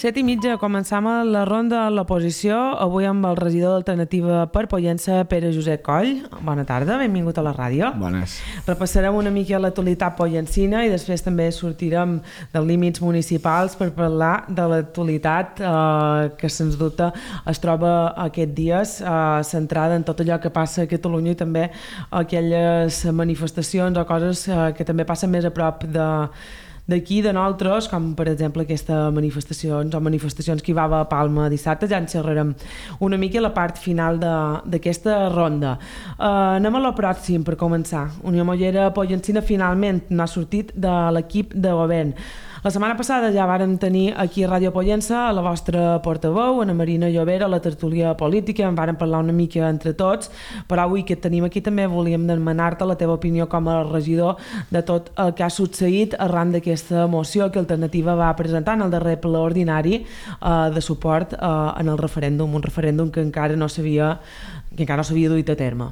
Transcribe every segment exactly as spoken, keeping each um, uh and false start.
Set i mitja, començam la ronda a l'oposició, avui amb el regidor d'Alternativa per Pollença, Pere Josep Coll. Bona tarda, benvingut a la ràdio. Bones. Repassarem una mica l'actualitat pollencina i després també sortirem dels límits municipals per parlar de l'actualitat eh, que sens dubte es troba aquests dies eh, centrada en tot allò que passa a Catalunya i també aquelles manifestacions o coses eh, que també passen més a prop de d'aquí, de nosaltres, com per exemple aquestes manifestacions o manifestacions que hi va a Palma dissabte. Ja en xerrarem una mica a la part final d'aquesta ronda. Uh, anem a la pròxim per començar. Unió Mollera Pollencina finalment n'ha sortit de l'equip de govern. La setmana passada ja vàrem tenir aquí a Ràdio Pollença a la vostra portaveu, Ana Marina Llobera, a la tertúlia política, en vàrem parlar una mica entre tots, però avui que et tenim aquí també volíem demanar-te la teva opinió com a regidor de tot el que ha succeït arran d'aquesta moció que Alternativa va presentar en el darrer ple ordinari eh, de suport eh, en el referèndum, un referèndum que encara no s'havia que encara no s'havia duit a terme.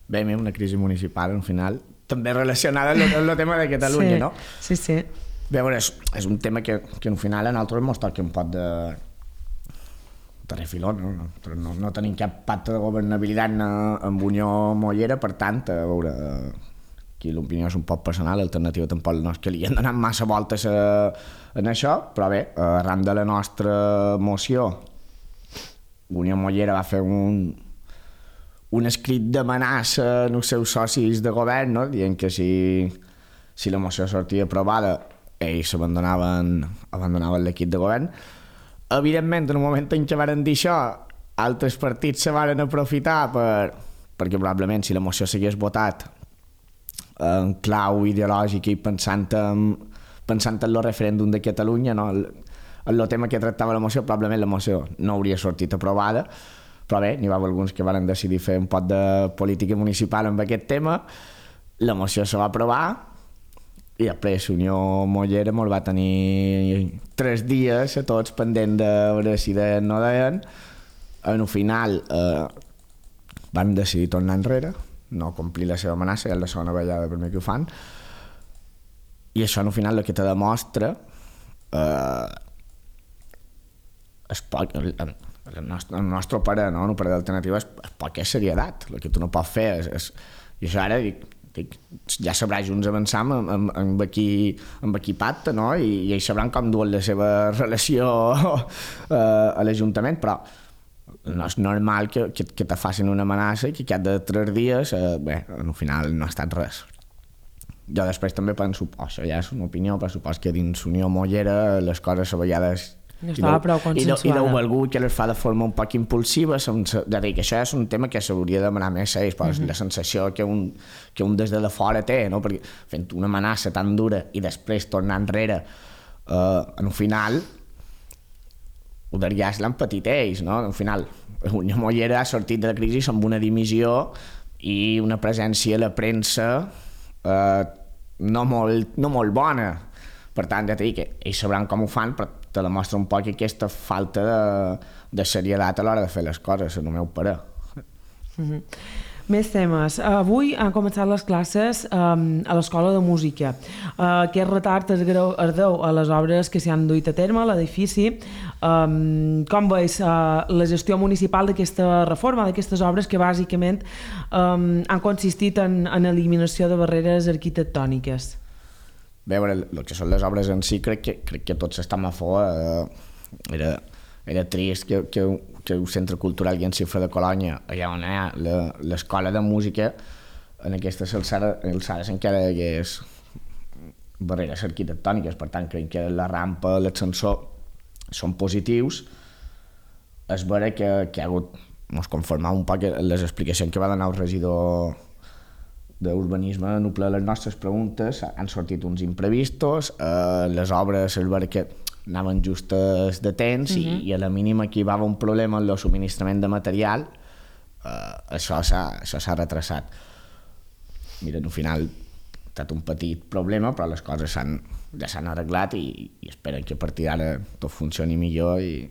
Bé, una crisi municipal, al final, també relacionada amb el tema de Catalunya, sí, no? Sí, sí. Bé, bueno, és, és un tema que, que al final a nosaltres ens toca un pot de, de refiló, no? No, no tenim cap pacte de governabilitat amb Unió Mollera, per tant, a veure, aquí l'opinió és un poc personal, l'Alternativa tampoc no és que li han donat massa voltes a, en això, però bé, arran de la nostra moció, Unió Mollera va fer un, un escrit d'amenaça als seus socis de govern, no? Dient que si, si la moció sortia aprovada ells abandonaven, abandonaven l'equip de govern. Evidentment, en un moment en què van dir això, altres partits se van aprofitar per, perquè probablement si la moció s'hagués votat en clau ideològica i pensant en, pensant en el referèndum de Catalunya, no? el, el tema que tractava la moció, probablement la moció no hauria sortit aprovada, però bé, n'hi va haver alguns que van decidir fer un poc de política municipal amb aquest tema, la moció se va aprovar i després Unió Mollera ens va tenir tres dies a tots pendent de veure si deien o no deien. En el final eh, van decidir tornar enrere, no complir la seva amenaça, ja és la segona vegada per mi que ho fan, i això en el final el que te demostra eh, és poc, el, el, nostre, el nostre pare, no? El pare d'Alternativa és, és poca serietat, el que tu no pots fer és, és, i això ara dic, ja sabrà junts avançar amb, amb, amb, aquí, amb aquí pacte, no? I, i ells sabran com duen la seva relació uh, a l'Ajuntament, però no és normal que, que, que te facin una amenaça i que cada tres dies, uh, bé, al final no ha estat res. Jo després també penso, oh, això ja és una opinió, però supos que dins Unió Mollera les coses a vegades no estava prou consensuada. I deu algú que les fa de forma un poc impulsiva, sense, de dir que això és un tema que s'hauria de demanar més a ells, però mm-hmm. la sensació que un, que un des de la fora té, no? Perquè fent una amenaça tan dura i després tornar enrere, eh, en un final ho ja se l'han patit ells, no? Al final Unió Mollera ha sortit de la crisi amb una dimissió i una presència a la premsa eh, no, molt, no molt bona. Per tant, ja t'he dit que ells sabran com ho fan, però te demostra un poc aquesta falta de, de serietat a l'hora de fer les coses, en el meu parer. Mm-hmm. Més temes. Avui han començat les classes um, a l'Escola de Música. Uh, aquest retard es, greu, es deu a les obres que s'hi han duit a terme a l'edifici. Um, com veus uh, la gestió municipal d'aquesta reforma, d'aquestes obres que bàsicament um, han consistit en, en eliminació de barreres arquitectòniques? Bé, veure, el que són les obres en si, crec que, crec que tots estem a favor. Eh, era, era trist que, que, que el Centre Cultural i en Cifra de Colònia, allà on hi ha l'escola de música, en aquestes alçades, alçades encara hi hagués barreres arquitectòniques. Per tant, crec que la rampa, l'ascensor són positius. És vera que, que ha hagut, mos conformar un poc les explicacions que va donar el regidor d'urbanisme en ple les nostres preguntes, han sortit uns imprevistos, eh, les obres és vera que anaven justes de temps mm-hmm. i, i a la mínima que hi va haver un problema en el subministrament de material, eh, això s'ha retrasat. Mira, al final ha estat un petit problema, però les coses s'han, ja s'han arreglat i, i esperen que a partir d'ara tot funcioni millor i,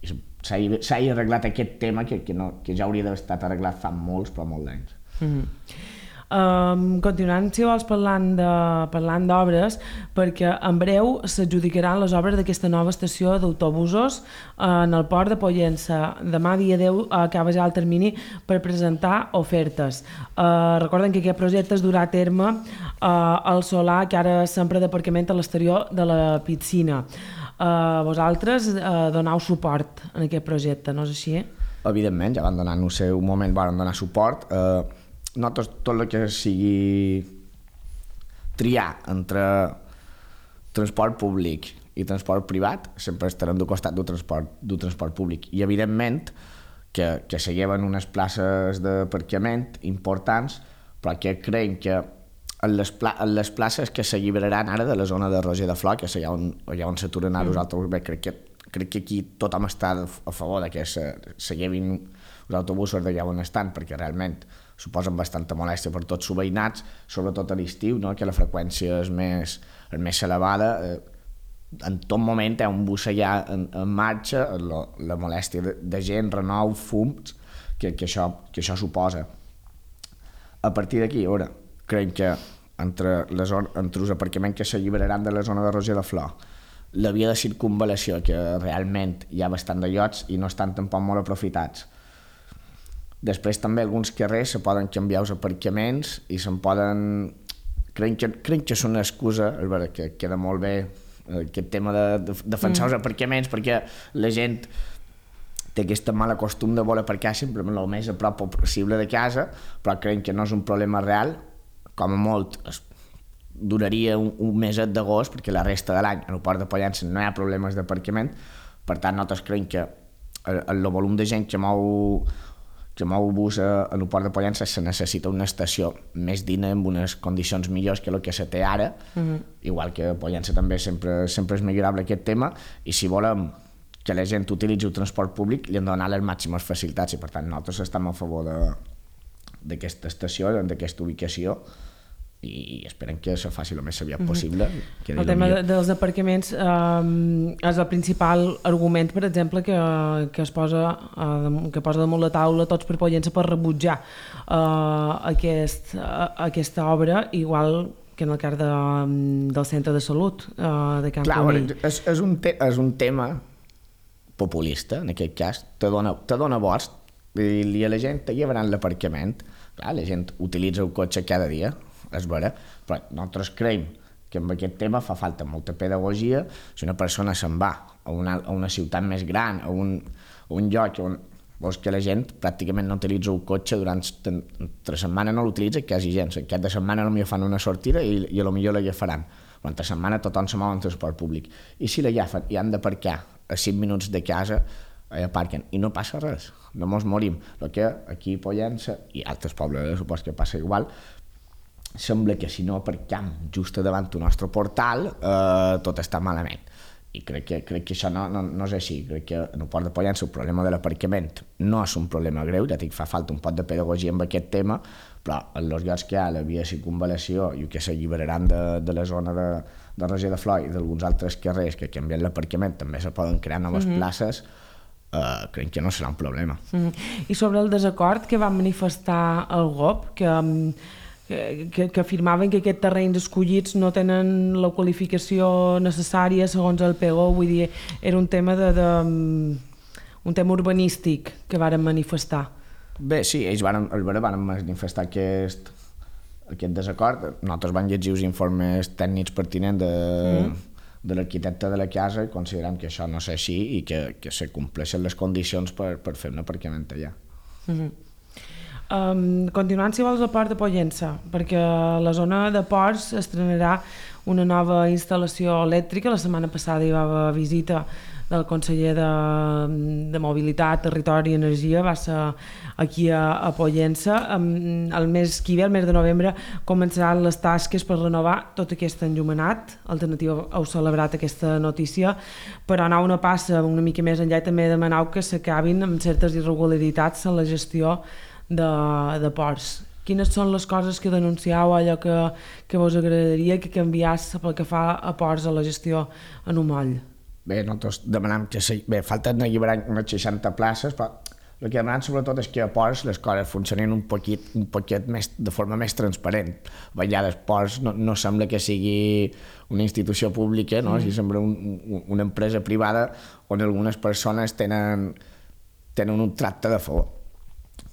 i s'ha arreglat aquest tema que, que, no, que ja hauria d'haver estat arreglat fa molts, però molts anys. Mm-hmm. Um, continuant, si vols, parlant de, parlant d'obres, perquè en breu s'adjudicaran les obres d'aquesta nova estació d'autobusos en el port de Pollença. Demà, dia deu, acaba ja el termini per presentar ofertes. Uh, recorden que aquest projecte es durà a terme uh, al solar que ara s'empra d'aparcament a l'exterior de la piscina. Uh, vosaltres uh, donau suport en aquest projecte, no és així? Evidentment, ja van donar en el seu moment, van donar suport. Uh, nosaltres tot el que sigui triar entre transport públic i transport privat sempre estarem del costat del transport, del transport públic, i evidentment que, que se lleven unes places d'aparcament importants, però que creiem que en les, pla en les places que s'alliberaran ara de la zona de Roger de Flor, que és allà on, allà on s'aturen ara els autobusos, bé, crec que, crec que aquí tothom està a favor de que se, se llevin els autobusos d'allà on estan, perquè realment suposen bastanta molèstia per tots els veïnats, sobretot a l'estiu, no? Que la freqüència és més, és més elevada. En tot moment hi ha un bus allà en, en marxa, la, la molèstia de, de gent, renou, fums, que, que, això, que això suposa. A partir d'aquí, ara, creiem que entre, les, entre els aparcaments que s'alliberaran de la zona de Roger de Flor, la via de circunvalació, que realment hi ha bastant de llots i no estan tampoc molt aprofitats. Després també alguns carrers se poden canviar els aparcaments i se'n poden... Creiem que, creiem que és una excusa, és vera, que queda molt bé aquest tema de, de defensar mm. els aparcaments, perquè la gent té aquest mal costum de voler aparcar sempre el més a prop possible de casa, però creiem que no és un problema real. Com a molt es duraria un, un meset d'agost, perquè la resta de l'any en el port de Pollença no hi ha problemes d'aparcament. Per tant, nosaltres creiem que el, el volum de gent que mou, que mou bus a, en el port de Pollença se necessita una estació més digna, amb unes condicions millors que el que se té ara. Mm-hmm. Igual que a Pollença també sempre, sempre és millorable aquest tema, i si volem que la gent utilitzi el transport públic li hem de donar les màximes facilitats, i per tant nosaltres estem a favor d'aquesta estació, d'aquesta ubicació, i esperem que se faci el més aviat possible. Mm-hmm. El tema de, dels aparcaments eh, és el principal argument, per exemple, que, que es posa eh, que posa damunt la taula Tots per Pollença per rebutjar eh, aquest, eh, aquesta obra, igual que en el cas de, del centre de salut eh, de Camp Conill. És, és, un te, és un tema populista, en aquest cas, te dona, te dona vots, i a la gent te llevaran l'aparcament. Clar, la gent utilitza el cotxe cada dia, és vera, però nosaltres creiem que amb aquest tema fa falta molta pedagogia. Si una persona se'n va a una, a una ciutat més gran, a un, a un lloc on veus que la gent pràcticament no utilitza el cotxe durant entre setmana, no l'utilitza quasi gens. Aquest de setmana potser fan una sortida i, i potser l'agafaran, però entre setmana tothom se mou en transport públic, i si l'agafen i han d'aparcar a cinc minuts de casa, aparquen i no passa res, no mos morim. El que aquí a Pollença i altres pobles supos que passa igual, sembla que si no aparcam just davant del nostre portal eh, tot està malament, i crec que, crec que això no, no, no és així. Crec que en el port de Pollença el problema de l'aparcament no és un problema greu, ja dic, fa falta un pot de pedagogia amb aquest tema, però en els llocs que hi ha la via de circunvalació i que s'alliberaran de, de la zona de, de Roger de Flor i d'alguns altres carrers que canvien l'aparcament, també se poden crear noves mm-hmm. places. Uh, crec que no serà un problema. Mm-hmm. I sobre el desacord que va manifestar el G O P, que Que, que, que afirmaven que aquests terrenys escollits no tenen la qualificació necessària segons el P E G O, vull dir, era un tema de, de un tema urbanístic que varen manifestar. Bé, sí, ells varen, el varen manifestar aquest, aquest desacord. Nosaltres vam llegir els informes tècnics pertinents de, mm. de l'arquitecte de la casa i considerem que això no és així i que, que se compleixen les condicions per, per fer un aparcament allà. Mm-hmm. Um, continuant, si vols, al port de Pollença, perquè a la zona de ports estrenarà una nova instal·lació elèctrica. La setmana passada hi va haver visita del conseller de, de Mobilitat, Territori i Energia, va ser aquí a, a Pollença. Um, el mes que ve, el mes de novembre, començaran les tasques per renovar tot aquest enllumenat. Alternativa heu celebrat aquesta notícia, però anar una passa una mica més enllà i també demanau que s'acabin amb certes irregularitats en la gestió De, de ports. Quines són les coses que denunciau, allò que, que vos agradaria que canviàs pel que fa a ports a la gestió en un moll? Bé, nosaltres demanam que... Se, bé, falten alliberar unes seixanta places, però el que demanem sobretot és que a Ports les coses funcionin un poquet, un poquet més, de forma més transparent. A vegades Ports no, no sembla que sigui una institució pública, no? Mm. Si sembla un, un, una empresa privada on algunes persones tenen, tenen un tracte de favor.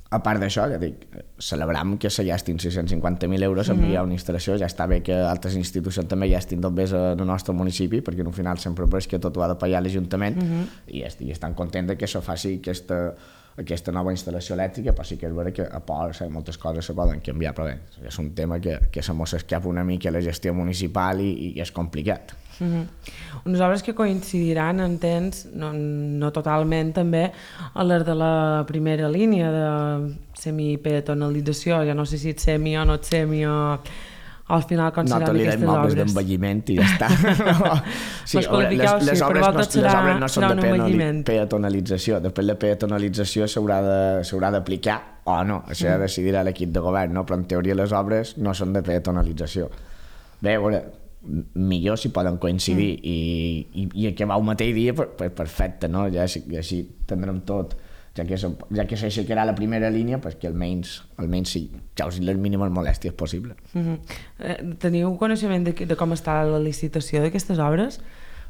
A part d'això, ja dic, celebram que se gastin sis-cents cinquanta mil euros en enviar una instal·lació, ja està bé que altres institucions també gastin tot bé al nostre municipi, perquè al final sempre és que tot ho ha de pagar l'Ajuntament, uh -huh. i, i estan contents que això faci aquesta, aquesta nova instal·lació elèctrica, però sí que és vera que a Ports moltes coses se poden canviar, però bé, és un tema que, que se mos escapa una mica a la gestió municipal i, i és complicat. Uh-huh. Unes obres que coincidiran en temps, no, no totalment també, a les de la primera línia de semi-peatonalització, ja no sé si ets semi o no ets semi o al final com seran no, aquestes obres. No, te li dem d'envelliment i ja està. No. Sí, les, les, les, sí, obres no, serà, les obres no són de peatonalització, després la peatonalització s'haurà d'aplicar o no, això mm. decidirà l'equip de govern, no? Però en teoria les obres no són de peatonalització. Bé, a veure, millor si poden coincidir mm. i, i, i acabar el mateix dia, per, per, perfecte, no? Ja així, així tindrem tot, ja que, ja que s'aixecarà la primera línia, pues que almenys, almenys sí, causin les mínimes molèsties possible. Mm-hmm. eh, teniu coneixement de, de com està la licitació d'aquestes obres?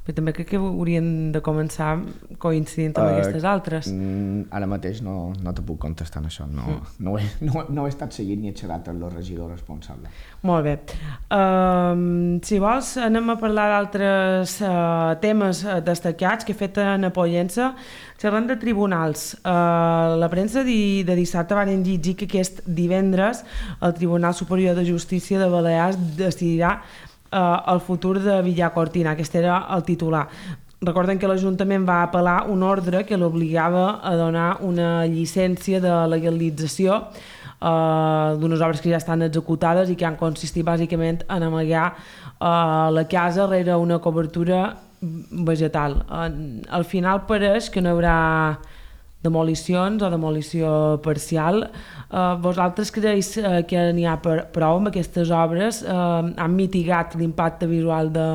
Però també crec que haurien de començar coincidint amb uh, aquestes altres. Mm, ara mateix no, no te puc contestar en això, no, mm. no, ho he, no, no he estat seguint ni he xerrat amb el regidor responsable. Molt bé. Uh, si vols, anem a parlar d'altres uh, temes destacats que he fet en Pollença. Xerrant de tribunals, uh, la premsa de, de dissabte van llegir que aquest divendres el Tribunal Superior de Justícia de Balears decidirà Uh, el futur de Villacortina. Aquest era el titular. Recorden que l'Ajuntament va apel·lar un ordre que l'obligava a donar una llicència de legalització uh, d'unes obres que ja estan executades i que han consistit bàsicament en amagar uh, la casa rere una cobertura vegetal. Uh, al final pareix que no hi haurà demolicions o demolició parcial. Uh, vosaltres creus uh, que n'hi ha per, prou amb aquestes obres? Uh, han mitigat l'impacte visual de,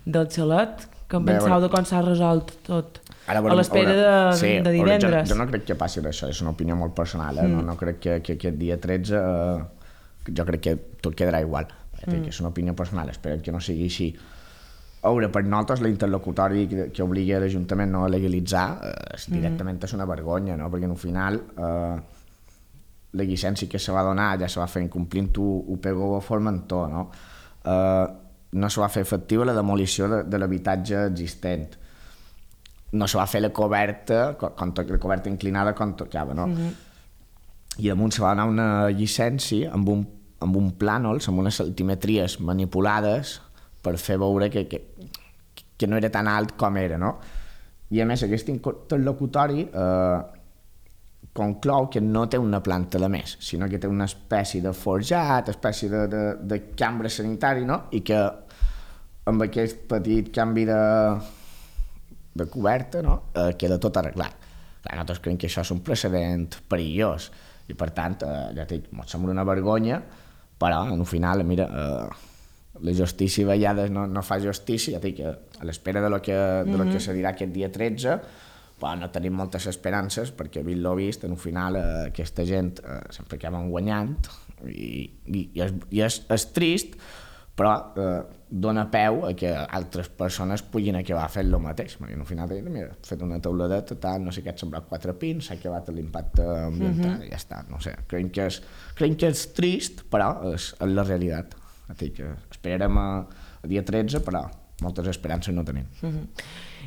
del xalet? Que en penseu de com s'ha resolt tot? Ara, a l'espera de, sí, de divendres? Jo, jo no crec que passi d'això, és una opinió molt personal, eh? mm. no, no crec que, que aquest dia tretze uh, jo crec que tot quedarà igual. Mm. És una opinió personal, espero que no sigui així. A veure, per nosaltres l'interlocutori que, que obliga l'Ajuntament no a legalitzar eh, directament mm. és una vergonya, no? Perquè al final eh, la llicència que se va donar ja se va fer incomplint ho pegó a Formentor, no? Eh, no se va fer efectiva la demolició de, de l'habitatge existent, no se va fer la coberta, quan, la coberta inclinada quan tocava, no? Mm-hmm. I damunt se va donar una llicència amb un, amb un plànols, amb unes altimetries manipulades per fer veure que, que, que no era tan alt com era, no? I a més aquest interlocutori eh, conclou que no té una planta de més, sinó que té una espècie de forjat, espècie de, de, de cambra sanitari, no? I que amb aquest petit canvi de, de coberta, no? eh, queda tot arreglat. Clar, nosaltres creiem que això és un precedent perillós i per tant, eh, ja dic, ens sembla una vergonya, però al final, mira, eh, la justícia a vegades no, no fa justícia, ja dic, a l'espera de lo que, de lo que se dirà aquest dia tretze, però no tenim moltes esperances perquè vist lo vist, en un final eh, aquesta gent eh, sempre acaben guanyant i, i, i, és, i és, és trist, però eh, dona peu a que altres persones puguin acabar fent el mateix. I al final deien, mira, he fet una teuladeta, tal, no sé què, ha semblat quatre pins, s'ha acabat l'impacte ambiental, uh-huh. i ja està, no sé. Creiem que és, creiem que és trist, però és, és la realitat. Que esperarem a, a dia tretze, però moltes esperances no tenim. Uh-huh.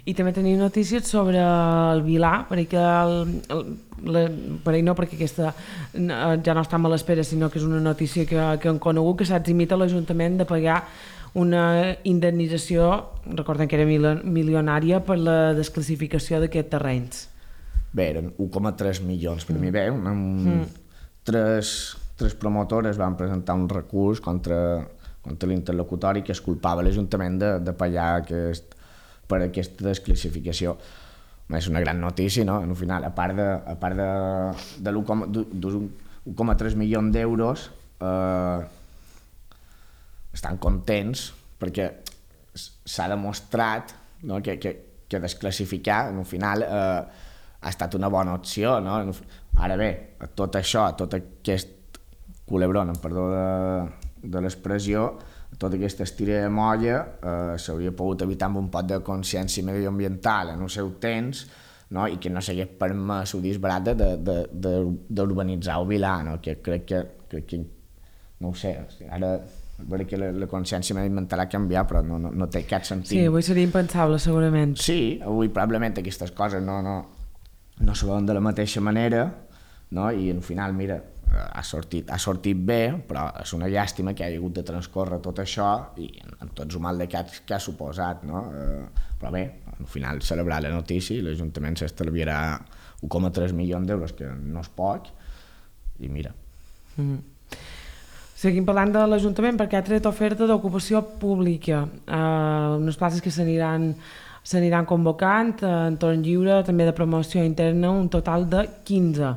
I també tenim notícies sobre el Vilà, perquè el, el, la, per no, perquè aquesta ja no està a l'espera, sinó que és una notícia que, que han conegut, que s'ha eximit a l'Ajuntament de pagar una indemnització, recordem que era milionària, per la desclassificació d'aquests terrenys. Bé, eren un coma tres milions, per mm. mi bé, un, un, mm. tres... tres promotores van presentar un recurs contra, contra l'interlocutori que es culpava l'Ajuntament de, de pagar aquest, per aquesta desclassificació. És una gran notícia, no? Al final, a part de, a part de, de l'un coma tres milions d'euros, eh, estan contents perquè s'ha demostrat, no? que, que, que desclassificar, al final, eh, ha estat una bona opció, no? Ara bé, tot això, tot aquest culebron, em perdó de, de l'expressió, tota aquesta estira de molla eh, s'hauria pogut evitar amb un pot de consciència medioambiental en el seu temps, no? I que no s'hagués permès el disbarat d'urbanitzar el Vilar, no? Que crec que, crec que no ho sé, ara veure que la, la consciència mediambiental ha canviat, però no, no, no té cap sentit. Sí, avui seria impensable, segurament. Sí, avui probablement aquestes coses no, no, no se veuen de la mateixa manera, no? I al final, mira, ha sortit, ha sortit bé, però és una llàstima que hagi hagut de transcórrer tot això i amb tots el mal de cap que ha suposat, no? Eh, però bé, al final celebrar la notícia i l'Ajuntament s'estalviarà un coma tres milions d'euros, que no és poc, i mira. Mm. Seguim parlant de l'Ajuntament perquè ha tret oferta d'ocupació pública, eh, unes places que s'aniran s'aniran convocant, eh, entorn lliure, també de promoció interna, un total de quinze.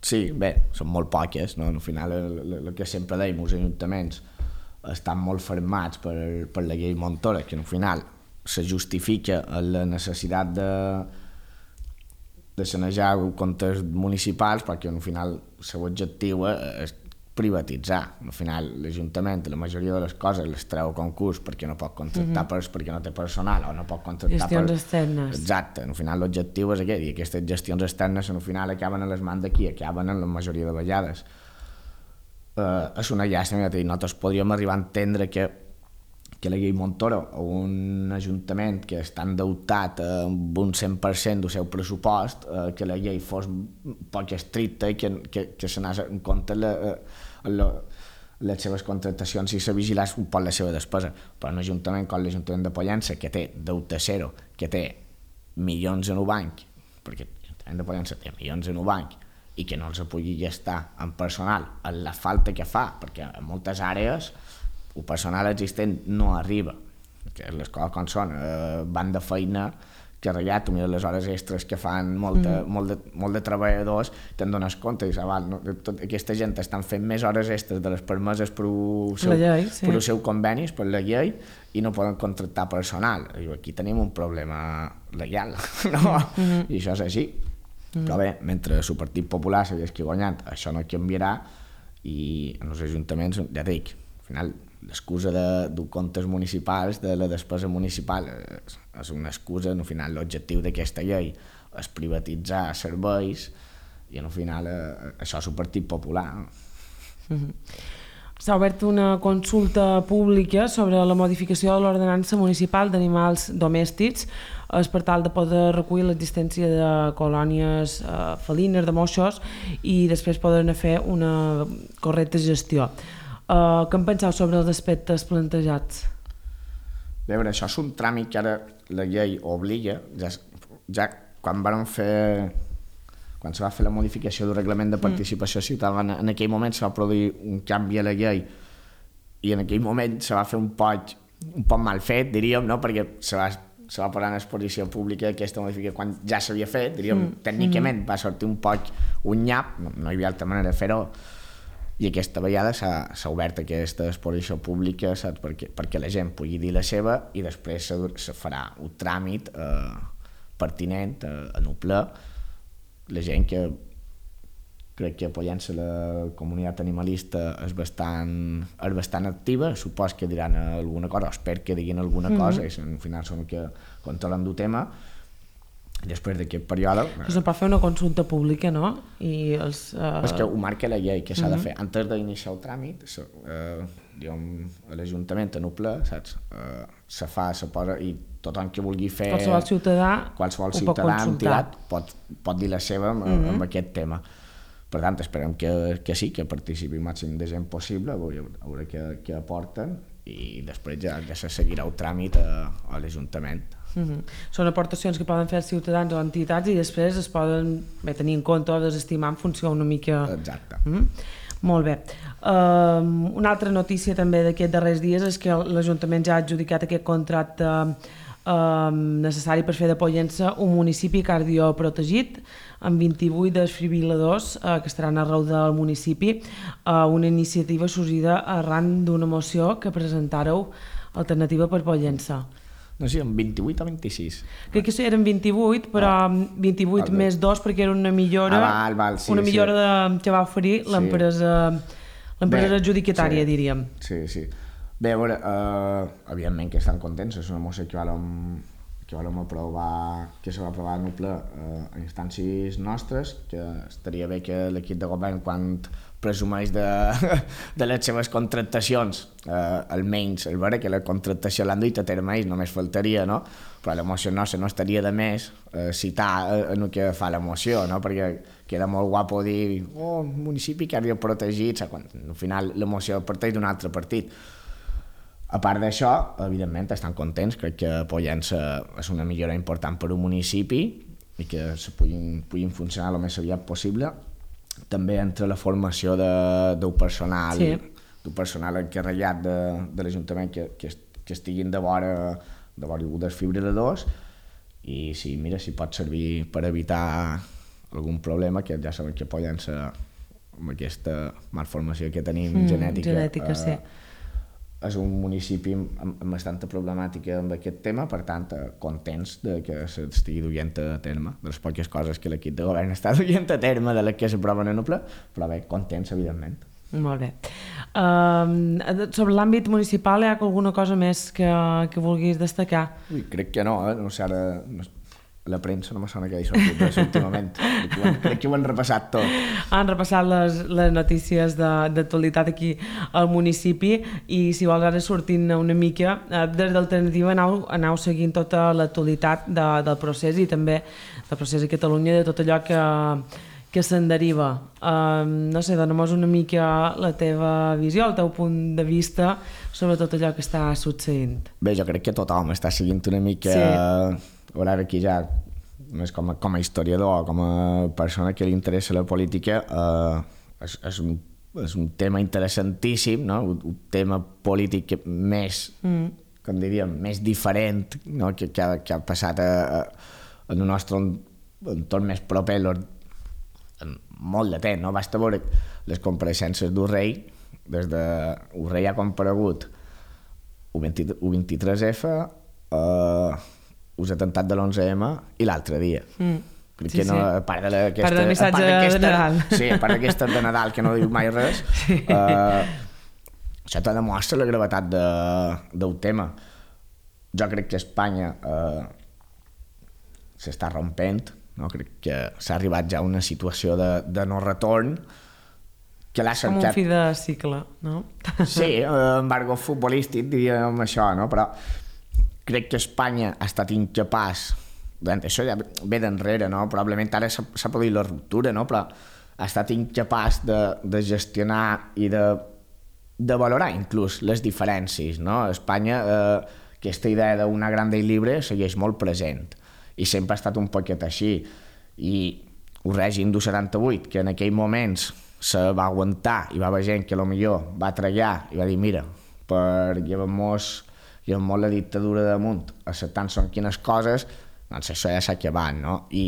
Sí, bé, són molt poques, no? Al final el, el, el que sempre deim, els ajuntaments estan molt fermats per, per la llei Montoro, que al final se justifica la necessitat de, de sanejar comptes municipals, perquè al final el seu objectiu és privatitzar. Al final l'Ajuntament la majoria de les coses les treu a concurs perquè no pot contractar, mm-hmm. per, perquè no té personal o no pot contractar gestions per... externes. Exacte, al final l'objectiu és aquest, i aquestes gestions externes al final acaben a les mans d'aquí, acaben en la majoria de vegades. Uh, és una llàstima, ja t'he dit, nosaltres podríem arribar a entendre que que la llei Montoro o un ajuntament que està endeutat amb un cent per cent del seu pressupost, eh, que la llei fos poc estricta i que, que, que se n'ha en compte la, la, les seves contractacions i se vigilés un poc la seva despesa. Però un ajuntament com l'Ajuntament de Pollença, que té deute zero, que té milions en el banc, perquè l'Ajuntament de Pollença té milions en el banc, i que no els pugui gastar en personal, en la falta que fa, perquè en moltes àrees el personal existent no arriba, que les coses com són, eh, van de feina carregat, tu mires les hores extres que fan molt de, mm. molt de, molt de treballadors, te'n dones compte i dius, ah, no, tota aquesta gent estan fent més hores extres de les permeses per el seu, llei, sí. per el seu convenis, per la llei, i no poden contractar personal. I aquí tenim un problema legal, no? Mm-hmm. I això és així. Mm. Però bé, mentre el Partit Popular segueix guanyant, això no canviarà, i en els ajuntaments, ja dic, al final l'excusa de, de comptes municipals, de la despesa municipal, és, és una excusa. Al final l'objectiu d'aquesta llei és privatitzar serveis i al final eh, això és el Partit Popular. Mm-hmm. S'ha obert una consulta pública sobre la modificació de l'ordenança municipal d'animals domèstics, és per tal de poder recollir l'existència de colònies eh, felines, de moixos, i després poder fer una correcta gestió. Uh, què en penseu sobre els aspectes plantejats? A veure, això és un tràmit que ara la llei obliga, ja, ja quan van fer, quan se va fer la modificació del reglament de participació mm. ciutadana, en aquell moment se va produir un canvi a la llei i en aquell moment se va fer un poc, un poc mal fet, diríem, no? Perquè se va, se va posar en exposició pública aquesta modificació quan ja s'havia fet, diríem, mm. tècnicament va sortir un poc un nyap, no, no hi havia altra manera de fer-ho, i aquesta vegada s'ha obert aquesta exposició pública, saps? Perquè, perquè la gent pugui dir la seva i després se, se farà un tràmit eh, pertinent eh, en un ple. La gent que crec que apoyant-se la comunitat animalista és bastant, és bastant activa, supos que diran alguna cosa, espero que diguin alguna mm-hmm. cosa, i al final són que controlen del tema. Després d'aquest període... Pues no pot fer una consulta pública, no? I els, uh... És que ho marca la llei, que s'ha uh-huh. de fer. Antes d'iniciar el tràmit, eh, diguem, a l'Ajuntament, en un ple, saps? Eh, se fa, se posa, i tothom que vulgui fer... Qualsevol ciutadà qualsevol ho ciutadà pot consultar. Pot, pot dir la seva amb, uh-huh. amb aquest tema. Per tant, esperem que, que sí, que participi el màxim de gent possible, a veure, a veure què, què aporten, i després ja, ja se seguirà el tràmit a, a l'Ajuntament. Mm-hmm. Són aportacions que poden fer els ciutadans o entitats i després es poden bé, tenir en compte o desestimar en funció una mica... Exacte. Mm-hmm. Molt bé. Um, una altra notícia també d'aquests darrers dies és que l'Ajuntament ja ha adjudicat aquest contracte um, necessari per fer de Pollença un municipi cardioprotegit amb vint-i-vuit desfibril·ladors uh, que estaran arreu del municipi, uh, una iniciativa sorgida arran d'una moció que presentareu Alternativa per Pollença. no sé, vint-i-vuit o vint-i-sis. Crec que eren vint-i-vuit, però vint-i-vuit Ah, més dos perquè era una millora, ah, val, val, sí, una millora sí. de, que va oferir l'empresa l'empresa adjudicatària, sí, diríem. Sí, sí. Bé, a veure, uh, evidentment que estan contents, és una moció que vam, que vam aprovar, que se va aprovar en un ple uh, a instàncies nostres, que estaria bé que l'equip de govern, quan presumeix de, de les seves contractacions, eh, almenys el veure que la contractació l'han duit a terme ells, només faltaria, no? Però la moció nostra no estaria de més eh, citar en el que fa la moció, no? Perquè queda molt guapo dir oh, un municipi que havia protegit, quan al final la moció parteix d'un altre partit. A part d'això, evidentment estan contents, crec que Pollença és una millora important per un municipi i que se puguin, puguin funcionar el més aviat possible. També entre la formació de, del personal, sí. del personal encarregat de, de l'Ajuntament que, que, que estiguin de vora de vora dels fibriladors i si, mira, si pot servir per evitar algun problema, que ja sabem que Pollença amb aquesta malformació que tenim mm, genètica, genètica eh, sí. és un municipi amb, amb bastanta problemàtica amb aquest tema, per tant, contents de que s'estigui duient a terme, de les poques coses que l'equip de govern està duient a terme, de les que s'aproven en el ple, però bé, contents, evidentment. Molt bé. Um, sobre l'àmbit municipal, hi ha alguna cosa més que, que vulguis destacar? Ui, crec que no, eh? No sé, ara... No... La premsa no me sona que hagi sortit res últimament. Crec que ho han repassat tot. Han repassat les, les notícies d'actualitat aquí al municipi i si vols ara sortint una mica, des d'Alternativa anau, anau seguint tota l'actualitat de, del procés i també del procés a Catalunya, de tot allò que, que se'n deriva. Um, no sé, dona-nos una mica la teva visió, el teu punt de vista sobre tot allò que està succeint. Bé, jo crec que tothom està seguint una mica... Sí. Ara aquí ja, més com a, com a historiador, com a persona que li interessa la política, eh, és, és, un, és un tema interessantíssim, no? un, un tema polític més, mm. com diríem, més diferent, no? que, que, ha, que ha passat a, a, en el nostre entorn més proper en molt de temps. No? Basta veure les compareixences del rei, des de... el rei ha comparegut el vint-i-tres efa, eh, us atemptat de l'onze eme i l'altre dia. Mm. Crec sí, que no, sí. a part de aquesta, part del missatge de Nadal. Sí, a part d'aquesta de Nadal, que no diu mai res, sí. eh, això te demostra la gravetat de, del tema. Jo crec que Espanya eh, s'està rompent, no? Crec que s'ha arribat ja a una situació de, de no retorn, que l'ha cercat... Com un fi de cicle, no? Sí, eh, embargo futbolístic, diríem això, no? Però crec que Espanya ha estat incapaç, això ja ve d'enrere, no? Probablement ara s'ha produït la ruptura, no? Però ha estat incapaç de, de gestionar i de, de valorar inclús les diferències, no? Espanya, eh, aquesta idea d'una grande i libre segueix molt present i sempre ha estat un poquet així, i el règim del setanta-vuit, que en aquells moments se va aguantar i va haver gent que potser va treballar i va dir mira, per llevar-nos i amb molt la dictadura damunt, acceptant són quines coses, doncs això ja s'ha acabat, no? I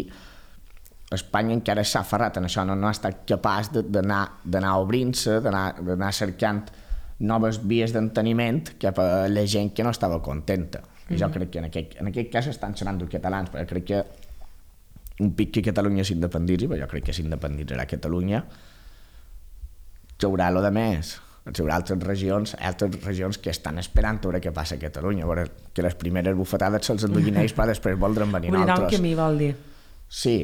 Espanya encara s'ha aferrat en això, no, no ha estat capaç d'anar obrint-se, d'anar cercant noves vies d'enteniment cap a la gent que no estava contenta. I jo crec que en aquest, en aquest cas estan sonant els catalans, perquè crec que un pic que Catalunya s'independitzi, però jo crec que s'independitzarà Catalunya, que haurà lo de més. Hi haurà altres regions, altres regions que estan esperant a veure què passa a Catalunya, a veure que les primeres bufetades se'ls enduguin ells, però després voldran venir obrirà altres. Obrirà un camí, vol dir. Sí,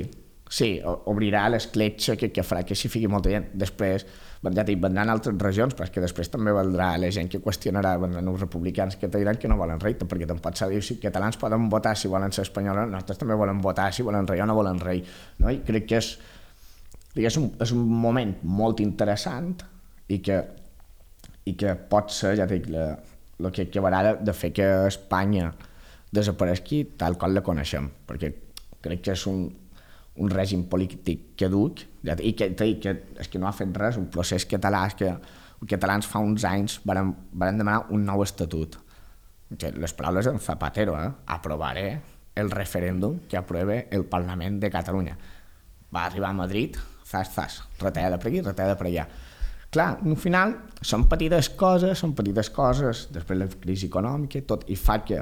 sí, obrirà l'escletxa que, que farà que s'hi fiqui molta gent. Després, ja dic, vendran altres regions, però és que després també valdrà la gent que qüestionarà, vendran els republicans que te diran que no volen rei, perquè tampoc s'ha dit si catalans poden votar si volen ser espanyols, nosaltres també volen votar si volen rei o no volen rei. No? I crec que és, és, un, és un moment molt interessant i que i que pot ser, ja dic, el que acabarà de, de fer que Espanya desapareixi tal com la coneixem, perquè crec que és un, un règim polític caduc, ja dic, i que, que és que no ha fet res, un procés català, és que els catalans fa uns anys van, van demanar un nou estatut. Que les paraules en Zapatero, eh? Aprovaré el referèndum que apruebe el Parlament de Catalunya. Va arribar a Madrid, zas, zas, retallada per aquí, retallada per allà. Clar, al final són petites coses, són petites coses, després la crisi econòmica i tot, i fa que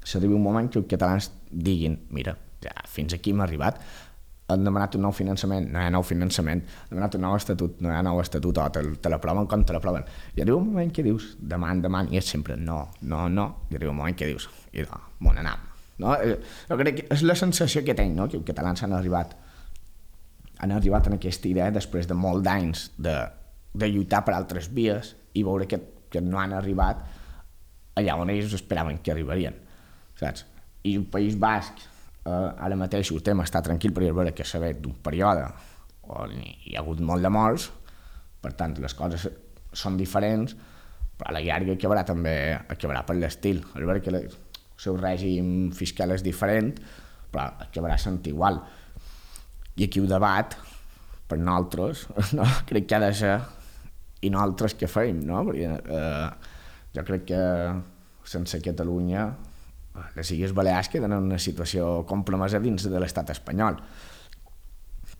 s'arribi un moment que els catalans diguin, mira, ja fins aquí hem arribat, han demanat un nou finançament, no hi ha nou finançament, han demanat un nou estatut, no hi ha nou estatut, o te, te l'aproven com te l'aproven. I arriba un moment que dius, deman, deman, i és sempre no, no, no, i arriba un moment que dius, i no, bon anam. No? Jo crec que és la sensació que tenc, no? Que els catalans han arribat han arribat en aquesta idea després de molts d'anys de, de lluitar per altres vies i veure que, que no han arribat allà on ells esperaven que arribarien, saps? I el País Basc Uh, ara mateix el tema està tranquil perquè és vera que s'ha fet d'un període on hi ha hagut molt de morts, per tant les coses són diferents, però a la llarga acabarà també acabarà per l'estil. És vera que el seu règim fiscal és diferent, però acabarà sent igual. I aquí el debat per nosaltres no, crec que ha de ser i nosaltres què feim, no? Perquè uh, jo crec que sense Catalunya les Illes Balears queden en una situació compromesa dins de l'estat espanyol.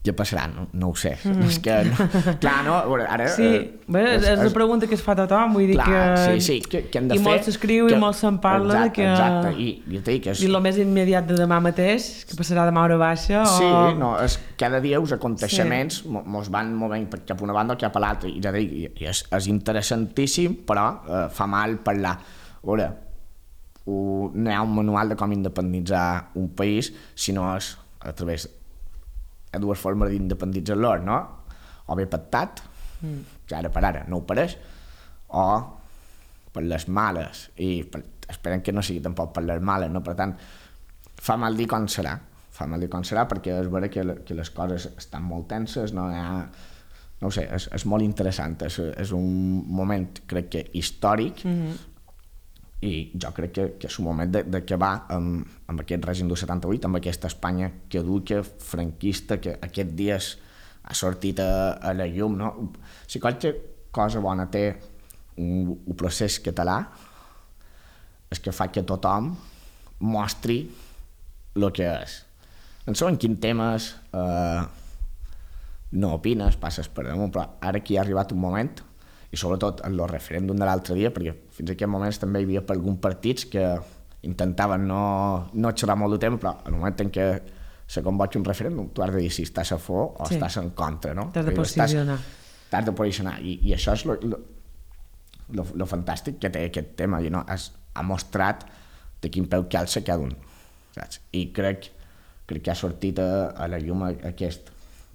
Què passarà? No, no ho sé. Mm. És que, no, clar, no? Ara, sí, eh, bé, és, és una pregunta que es fa a tothom, vull dir clar, que... Sí, sí, que, que hem de I fer... molt s'escriu que, i molt se'n parla exacte, de que... Exacte, i, i, que és... I el més immediat de demà mateix, que passarà demà a hora baixa, o... Sí, no, és, cada dia els aconteixements sí. mos van movent cap a una banda o cap a l'altra, i ja dic, i és, és interessantíssim, però eh, fa mal parlar. A veure, no hi ha un manual de com independitzar un país, sinó és a través de dues formes d'independitzar-lo, no? O bé pactat, mm. que ara per ara no ho pareix, o per les males, i per, esperem que no sigui tampoc per les males, no? Per tant, fa mal dir com serà, fa mal dir com serà, perquè és vera que, que les coses estan molt tenses, no hi ha... No ho sé, és, és molt interessant, és, és un moment, crec que, històric, mm-hmm. i jo crec que, que és un moment d'acabar amb, amb aquest règim del setanta-vuit, amb aquesta Espanya caduca, franquista, que aquest dia ha sortit a, a la llum, no? Si qualque cosa bona té un, un procés català és que fa que tothom mostri el que és. No sé en quins temes eh, no opines, passes per damunt, però ara aquí ha arribat un moment, i sobretot en el referèndum de l'altre dia, perquè fins a aquest moments també hi havia per alguns partits que intentaven no, no xerrar molt de tema, però en el moment en què se convoca un referèndum, tu has de dir si estàs a favor o sí. estàs en contra, no? T'has de posicionar. T'has de posicionar, i, i això és el fantàstic que té aquest tema, i no, has, ha mostrat de quin peu calça cada un, saps? I crec, crec que ha sortit a, a la llum aquest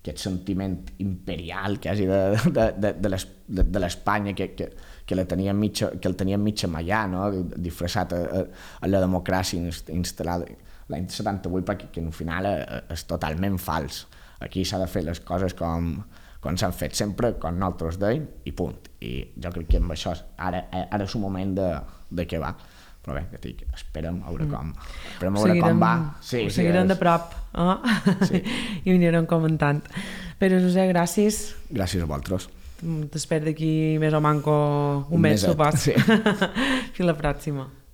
aquest sentiment imperial quasi de, de, de, de l'Espanya que, que, que, la tenia mitja, que el tenia mitja mallà, no? Disfressat a, a, a la democràcia instal·lada l'any setanta-vuit, perquè que, al final és totalment fals. Aquí s'ha de fer les coses com, com s'han fet sempre, com nosaltres deim, i punt. I jo crec que amb això ara, ara és un moment de, de què va. Però bé, ja dic, esperem a veure com, esperem a veure com va. Sí, ho seguirem sí, és... de prop, oh? Sí. I ho anirem comentant. Però, Josep, gràcies. Gràcies a vosaltres. T'espero d'aquí més o manco un, un mes, supos. Sí. Fins la pròxima.